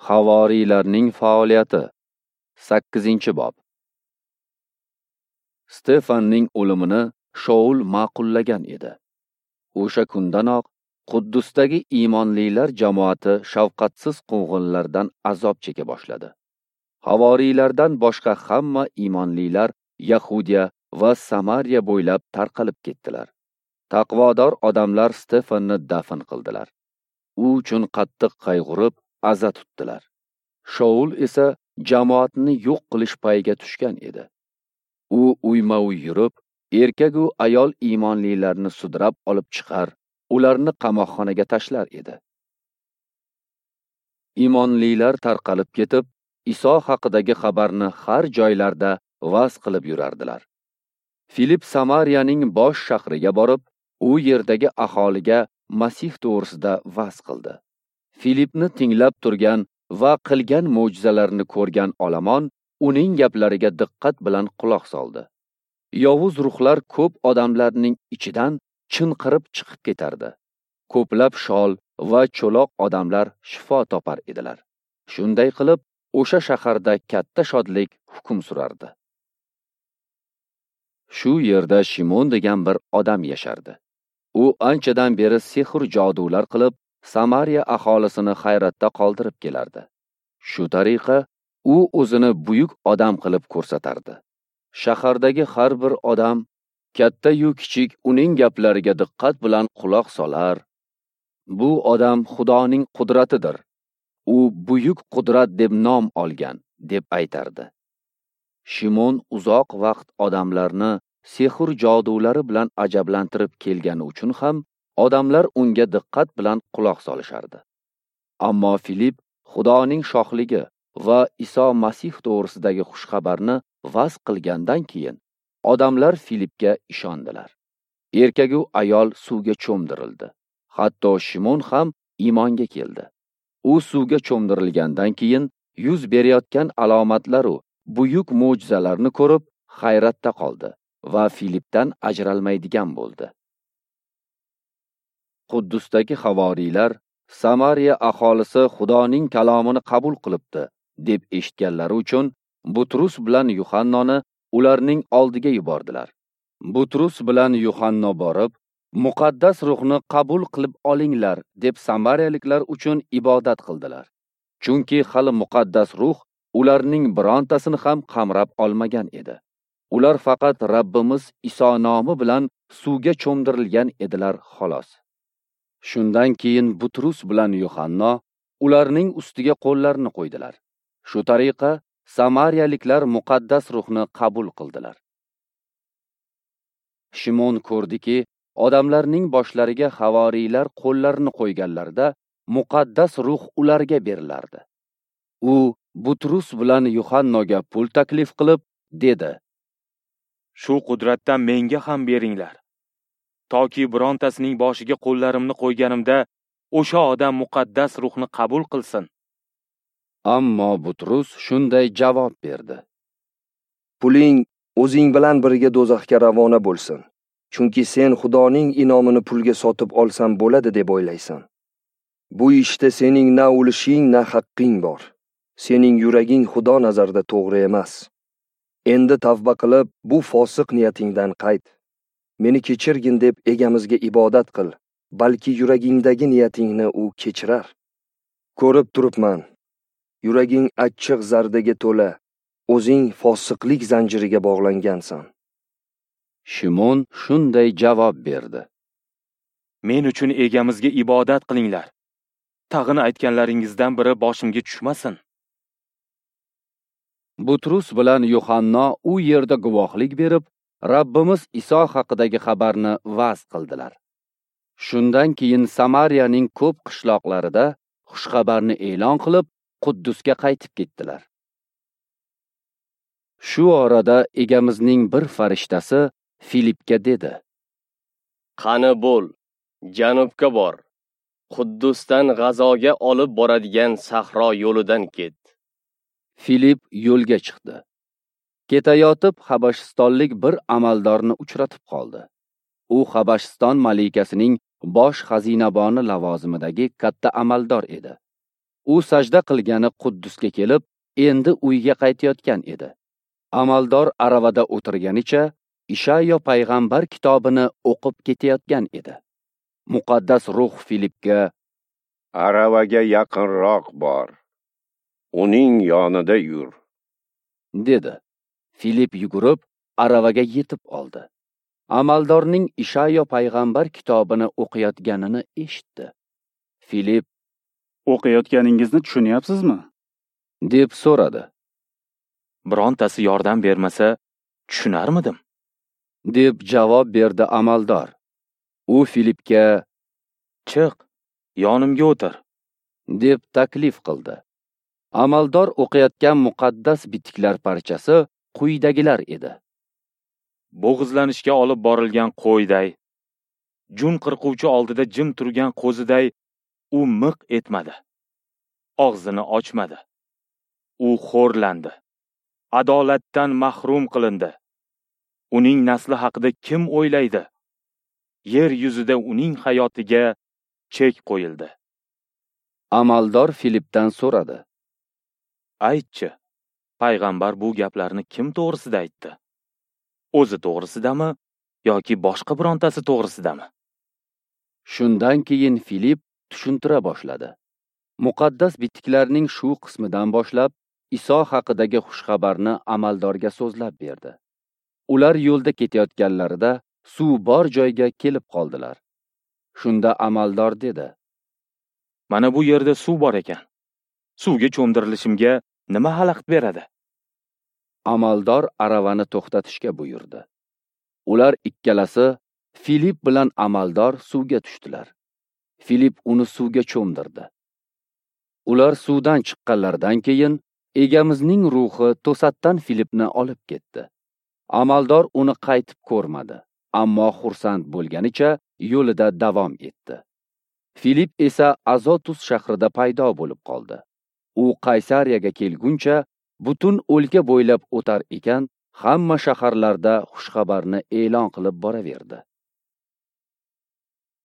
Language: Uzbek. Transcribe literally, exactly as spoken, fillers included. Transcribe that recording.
Havoriylarning faoliyati sakkizinchi bob. Stefanning o'limini Shaul ma'qullagan edi. O'sha kundanoq Quddusdagi iymonlilar jamoati shafqatsiz quvg'inlardan azob cheka boshladi. Havoriylardan boshqa hamma iymonlilar Yahudiya va Samariya bo'ylab tarqalib ketdilar. Taqvodor odamlar Stefanni dafn qildilar. U uchun qattiq qayg'urib, aza tutdilar. Shaul esa jamoatni yo'q qilish payiga tushgan edi. U uyma-uy yurib, erkak-u ayol iymonlilarni sudrab olib chiqar, ularni qamoqxonaga tashlar edi. Iymonlilar tarqalib ketib, Iso haqidagi xabarni har joylarda vaz qilib yurardilar. Filip Samariyaning bosh shahriga borib, u yerdagi aholiga Masih to'g'risida vaz qildi. Filipni tinglab turgan va qilgan mo'jizalarini ko'rgan olomon uning gaplariga diqqat bilan quloq soldi. Yovuz ruhlar ko'p odamlarning ichidan chinqirib chiqib ketardi. Ko'plab shol va cho'loq odamlar shifo topar edilar. Shunday qilib, o'sha shaharda katta shodlik hukm surardi. Shu yerda Shimon degan bir odam yashardi. U anchadan beri sehr jodular qilib, Samariya aholisini hayratda qoldirib kelardi. Shu tariqa u o'zini buyuk odam qilib ko'rsatardi. Shahardagi har bir odam, katta-yu kichik, uning gaplariga diqqat bilan quloq solar. Bu odam Xudoning qudratidir. U buyuk qudrat deb nom olgan, deb aytardi. Shimon uzoq vaqt odamlarni sehr jodulari bilan ajablantirib kelgani uchun ham odamlar unga diqqat bilan quloq solishardi. Ammo Filip Xudoning shohligi va Iso Masih to'g'risidagi xushxabarni vaz qilgandan keyin odamlar Filipga ishondilar. Erkak-u ayol suvga cho'mdirildi. Hatto Shimon ham iymonga keldi. U suvga cho'mdirilgandan keyin yuz berayotgan alomatlar-u buyuk mo'jizalarni ko'rib hayratda qoldi va Filipdan ajralmaydigan bo'ldi. Quddusdagi havoriylar Samariya aholisi Xudoning kalomini qabul qilibdi deb eshitganlari uchun Butrus bilan Yuhannoni ularning oldiga yubordilar. Butrus bilan Yuhanno borib, Muqaddas ruhni qabul qilib olinglar deb samariyaliklar uchun ibodat qildilar. Chunki hali Muqaddas ruh ularning birontasini ham qamrab olmagan edi. Ular faqat Rabbimiz Iso nomi bilan suvga cho'mdirilgan edilar xolos. Shundan keyin Butrus bilan Yuhanno ularning ustiga qo'llarini qo'ydilar. Shu tariqa samariyaliklar Muqaddas ruhni qabul qildilar. Shimon ko'rdiki, odamlarning boshlariga havoriylar qo'llarini qo'yganlarida Muqaddas ruh ularga berilardi. U Butrus bilan Yuhannoga pul taklif qilib, dedi: "Shu qudratdan menga ham beringlar, toki birontasining boshiga qo'llarimni qo'yganimda o'sha odam Muqaddas ruhni qabul qilsin." Ammo Butrus shunday javob berdi: "Puling o'zing bilan birga do'zaxga ravona bo'lsin. Chunki sen Xudoning inomini pulga sotib olsam bo'ladi deb o'ylaysan. Bu ishda sening na ulushing, na haqqing bor. Sening yuraging Xudo nazarida to'g'ri emas. Endi tavba qilib, bu fosiq niyatingdan qayt. Meni kechirgin deb egamizga ibodat qil, balki yuragingdagi niyatingni u kechirar. Ko'rib turibman, yuraging achchiq zardaga to'la, o'zing fosiqlik zanjiriga bog'langansan." Shimon shunday javob berdi: "Men uchun egamizga ibodat qilinglar. Tag'in aytganlaringizdan biri boshimga tushmasin." Butrus bilan Yuhanno u yerda guvohlik berib, Rabbimiz Iso haqidagi xabarni vaz qildilar. Shundan keyin Samariyaning ko'p qishloqlarida xushxabarni e'lon qilib, Quddusga qaytib ketdilar. Shu orada egamizning bir farishtasi Filipga dedi: "Qani bo'l, janubga bor. Quddusdan G'azoga olib boradigan sahro yo'lidan ket." Filip yo'lga chiqdi. Ketayotib Habashistonlik bir amaldorni uchratib qoldi. U Habashiston malikasining bosh xazinaboni lavozimidagi katta amaldor edi. U sajda qilgani Quddusga kelib, endi uyga qaytayotgan edi. Amaldor aravada o'tirganicha Ishayo payg'ambar kitobini o'qib ketayotgan edi. Muqaddas ruh Filipga: "Aravaga yaqinroq bor, uning yonida yur", dedi. Filip yugurib aravaga yetib oldi. Amaldorning Ishayo payg'ambar kitobini o'qiyotganini eshitdi. Filip: "O'qiyotganingizni tushunyapsizmi?" deb so'radi. Birontasi yordam bermasa, tushunarmidim? deb javob berdi amaldor. U Filipga: "Chiq, yonimga o'tir", deb taklif qildi. Amaldor o'qiyotgan muqaddas bitiklar parchasi quyidagilar edi: Bo'g'izlanishga olib borilgan qo'yday, jun qirquvchi oldida jim turgan qo'ziday u miq etmadi, og'zini ochmadi. U xo'rlandi, adolatdan mahrum qilindi. Uning nasli haqida kim o'ylaydi? Yer yuzida uning hayotiga chek qo'yildi. Amaldor Filipdan so'radi: "Aytchi, payg'ambar bu gaplarni kim to'g'risida aytdi? O'zi to'g'risidami yoki boshqa birontasi to'g'risidami?" Shundan keyin Filip tushuntira boshladi. Muqaddas bitiklarning shu qismidan boshlab Iso haqidagi xushxabarni amaldorga so'zlab berdi. Ular yo'lda ketayotganlarida suv bor joyga kelib qoldilar. Shunda amaldor dedi: "Mana bu yerda suv bor ekan. Suvga cho'mdirilishimga nima xalaqit beradi?" Amaldor aravani to'xtatishga buyurdi. Ular ikkalasi, Filip bilan amaldor, suvga tushdilar. Filip uni suvga cho'mdirdi. Ular suvdan chiqqanlaridan keyin Egamizning ruhi to'satdan Filipni olib ketdi. Amaldor uni qaytib ko'rmadi, ammo xursand bo'lganicha yo'lida davom etdi. Filip esa Azotus shahrida paydo bo'lib qoldi. U Qaysariyaga kelguncha butun o'lka bo'ylab o'tar ekan, hamma shaharlarda xushxabarni e'lon qilib boraverdi.